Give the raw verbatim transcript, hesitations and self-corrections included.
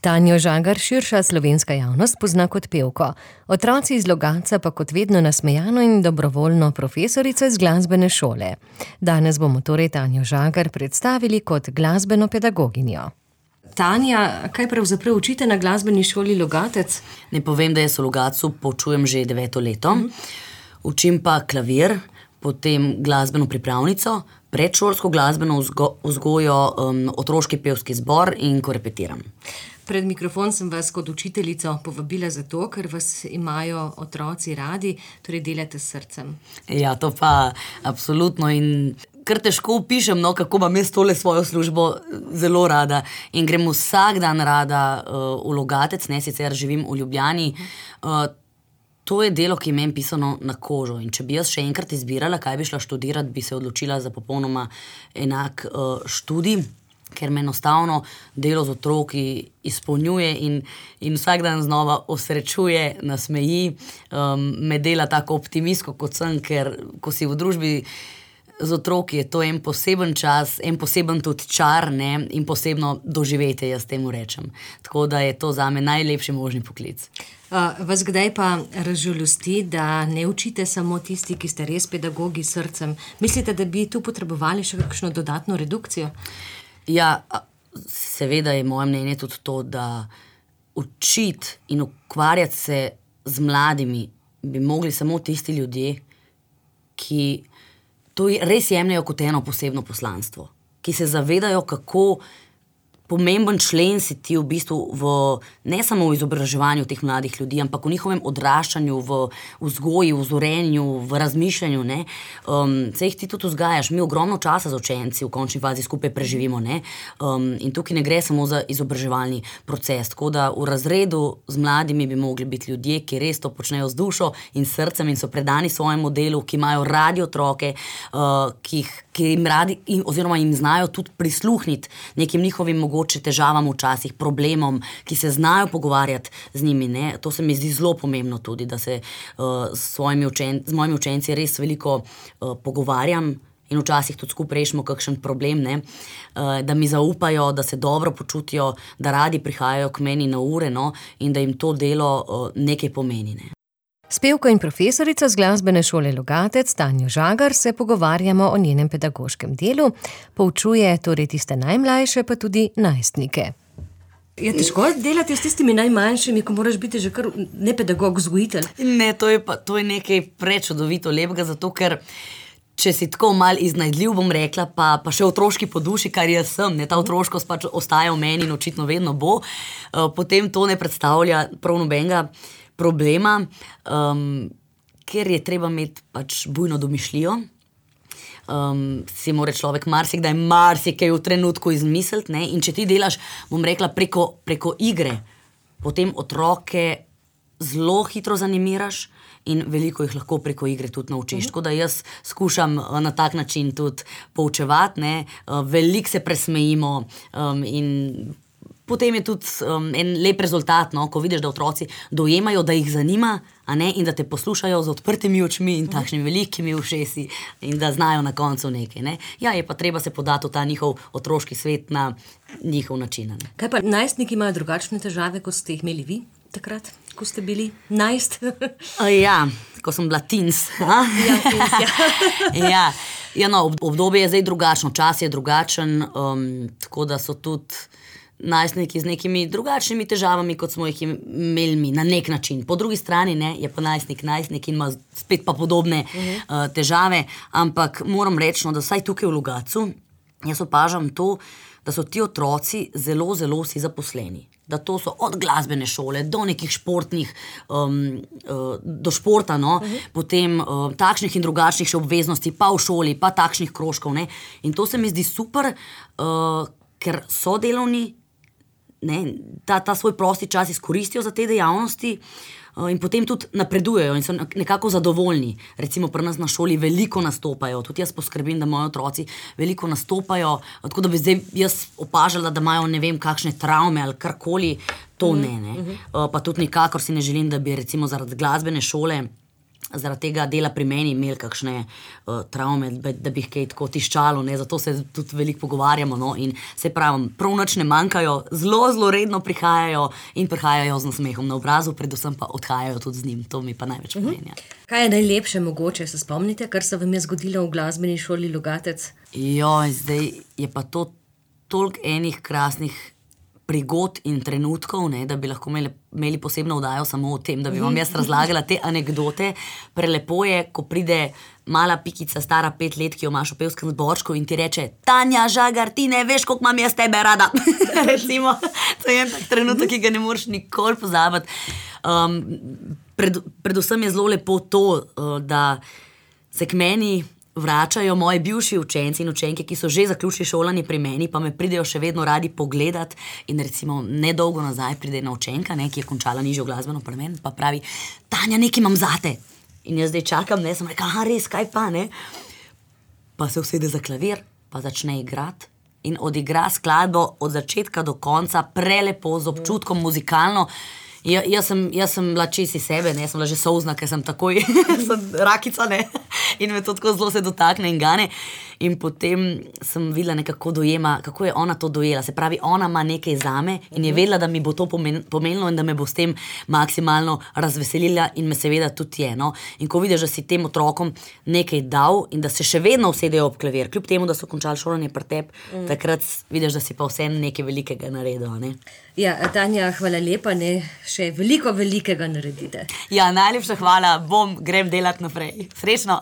Tanjo Žagar širša slovenska javnost pozna kot pevko. Otroci iz Logatca pa kot vedno nasmejano in dobrovoljno profesorico iz glasbene šole. Danes bomo torej Tanjo Žagar predstavili kot glasbeno pedagoginjo. Tanja, kaj pravzaprav učite na glasbeni šoli Logatec? Ne povem, da jaz v Logatcu poučujem že deveto leto. Mm. Učim pa klavir, potem glasbeno pripravnico, predšolsko glasbeno vzgo- vzgojo, um, otroški pevski zbor in ko repetiram. Pred mikrofon sem vas kot učiteljico povabila zato, ker vas imajo otroci radi, torej delate s srcem. Ja, to pa absolutno in kar težko opišem, no, kako imam jaz tole svojo službo zelo rada in grem vsak dan rada uh, v Logatec, ne, sicer živim v Ljubljani. Uh, to je delo, ki je meni pisano na kožo in če bi jaz še enkrat izbirala, kaj bi šla študirati, bi se odločila za popolnoma enak uh, študij, ker me enostavno delo z otroki izpolnjuje in, in vsak dan znova osrečuje, nasmeji, um, me dela tako optimistko kot sem, ker ko si v družbi z otroki, je to en poseben čas, en poseben tudi čar, ne, in posebno doživetje, jaz temu rečem. Tako da je to zame najlepši možni poklic. Uh, vas kdaj pa razžalosti, da ne učite samo tisti, ki ste res pedagogi s srcem? Mislite, da bi tu potrebovali še kakšno dodatno redukcijo? Ja, seveda je moje mnenje tudi to, da učiti in ukvarjati se z mladimi bi mogli samo tisti ljudje, ki to res jemljajo kot eno posebno poslanstvo, ki se zavedajo, kako pomemben člen si ti v bistvu v, ne samo v izobraževanju teh mladih ljudi, ampak v njihovem odraščanju, v vzgoji, v vzorenju, v razmišljanju, ne. Um, se jih ti tudi vzgajaš, mi ogromno časa z učenci v končni fazi skupaj preživimo, ne. Um, in tukaj ne gre samo za izobraževalni proces, tako da v razredu z mladimi bi mogli biti ljudje, ki res to počnejo z dušo in srcem in so predani svojemu delu, ki imajo radi otroke, uh, ki jih ki jim radi, oziroma jim znajo tudi prisluhniti nekim njihovim mogoče težavam včasih, problemom, ki se znajo pogovarjati z njimi, ne. To se mi zdi zelo pomembno tudi, da se uh, s svojimi učen, z mojimi učenci res veliko uh, pogovarjam in včasih tudi skupaj rešimo kakšen problem, ne. Uh, da mi zaupajo, da se dobro počutijo, da radi prihajajo k meni na ure, no, in da jim to delo uh, nekaj pomeni, ne. S pevko in profesorico z glasbene šole Logatec, Tanjo Žagar, se pogovarjamo o njenem pedagoškem delu. Poučuje torej tiste najmlajše, pa tudi najstnike. Je težko delati s tistimi najmanjšimi, ko moraš biti že kar ne pedagog, vzgojitelj? Ne, to je pa to je nekaj prečudovito lepega, zato ker če si tako malo iznajdljiv, bom rekla, pa, pa še otroški po duši, kar jaz sem, ne, ta otroškost pač ostaja v meni in očitno vedno bo, uh, potem to ne predstavlja prav nobenega problema, um, ker je treba imeti pač bujno domišljijo. Um, si mora človek marsikdaj marsikaj v trenutku izmisliti, ne, in če ti delaš, bom rekla, preko, preko igre, potem otroke zelo hitro zanimiraš in veliko jih lahko preko igre tudi naučiš. Tako da jaz skušam na tak način tudi poučevati, ne, veliko se presmejimo um, in potem je tudi um, en lep rezultat, no, ko vidiš, da otroci dojemajo, da jih zanima, a ne, in da te poslušajo z odprtimi očmi in takšnimi velikimi ušesi in da znajo na koncu nekaj, ne. Ja, je pa treba se podati v ta njihov otroški svet na njihov način, ne. Kaj pa najstniki imajo drugačne težave, kot ste jih imeli vi takrat, ko ste bili najst? Ja, ko sem bila teens. Ja, teens, ja. Ja, ja, no, obdobje je zdaj drugačno, čas je drugačen, um, tako da so tudi najstniki z nekimi drugačnimi težavami, kot smo jih imeli mi, na nek način. Po drugi strani, ne, je pa najstnik najstnik in ima spet pa podobne uh-huh. uh, težave, ampak moram reči, no, da vsaj tukaj v Logatcu jaz opažam to, da so ti otroci zelo, zelo vsi zaposleni. Da to so od glasbene šole do nekih športnih, um, uh, do športa, no, uh-huh. potem uh, takšnih in drugačnih še obveznosti, pa v šoli, pa takšnih krožkov, ne. In to se mi zdi super, uh, ker so delovni, ne, ta, ta svoj prosti čas izkoristijo za te dejavnosti uh, in potem tudi napredujejo in so nekako zadovoljni. Recimo pri nas na šoli veliko nastopajo, tudi jaz poskrbim, da moji otroci veliko nastopajo, tako da bi zdaj jaz opažala, da imajo ne vem kakšne travme ali karkoli, to ne, ne. Uh, pa tudi nikakor si ne želim, da bi recimo zaradi glasbene šole zaradi tega dela pri meni imeli kakšne uh, travme, da bi jih kaj tako tiščalo, ne? Zato se tudi veliko pogovarjamo, no? In se pravim, prav nič ne manjkajo, zelo, zelo redno prihajajo in prihajajo z nasmehom na obrazu, predvsem pa odhajajo tudi z njim, to mi pa največ pomeni. Uh-huh. Kaj je najlepše mogoče, se spomnite, kar se vam je zgodilo v glasbeni šoli Logatec? Joj, zdaj je pa to toliko enih krasnih prigod in trenutkov, ne, da bi lahko imeli, imeli posebno vdajo samo o tem, da bi vam jaz razlagala te anekdote. Prelepo je, ko pride mala pikica, stara pet let, ki jo imaš v pevskem zborčku in ti reče: Tanja Žagar, ti ne veš, koliko imam jaz tebe rada. Recimo, to je en tak trenutek, ki ga ne moreš nikoli pozabiti. Um, pred, predvsem je zelo lepo to, uh, da se k meni vračajo moji bivši učenci in učenke, ki so že zaključili šolanje pri meni, pa me pridejo še vedno radi pogledat in recimo nedolgo nazaj pride ena učenka, ne, ki je končala nižjo glasbeno pri meni, pa pravi: Tanja, nekaj imam zate. In jaz zdaj čakam, ne, sem rekla: aha, res, kaj pa, ne? Pa se usede za klavir, pa začne igrati in odigra skladbo od začetka do konca, prelepo, z občutkom, muzikalno. Ja, jaz, sem, jaz sem bila čisi sebe, ne, sem bila že solzna, ker sem takoj sem rakica, ne, in me to tako zelo se dotakne in gane. In potem sem videla nekako dojema, kako je ona to dojela. Se pravi, ona ima nekaj zame in je vedela, da mi bo to pomenilo in da me bo s tem maksimalno razveselila in me seveda tudi je. No? In ko vidiš, da si tem otrokom nekaj dal in da se še vedno usedejo ob klavir, kljub temu, da so končali šolanje pri tebi, mm. takrat vidiš, da si pa vsem nekaj velikega naredil. Ne? Ja, Tanja, hvala lepa, ne, še veliko velikega naredite. Ja, najlepša hvala, bom, grem delati naprej. Srečno!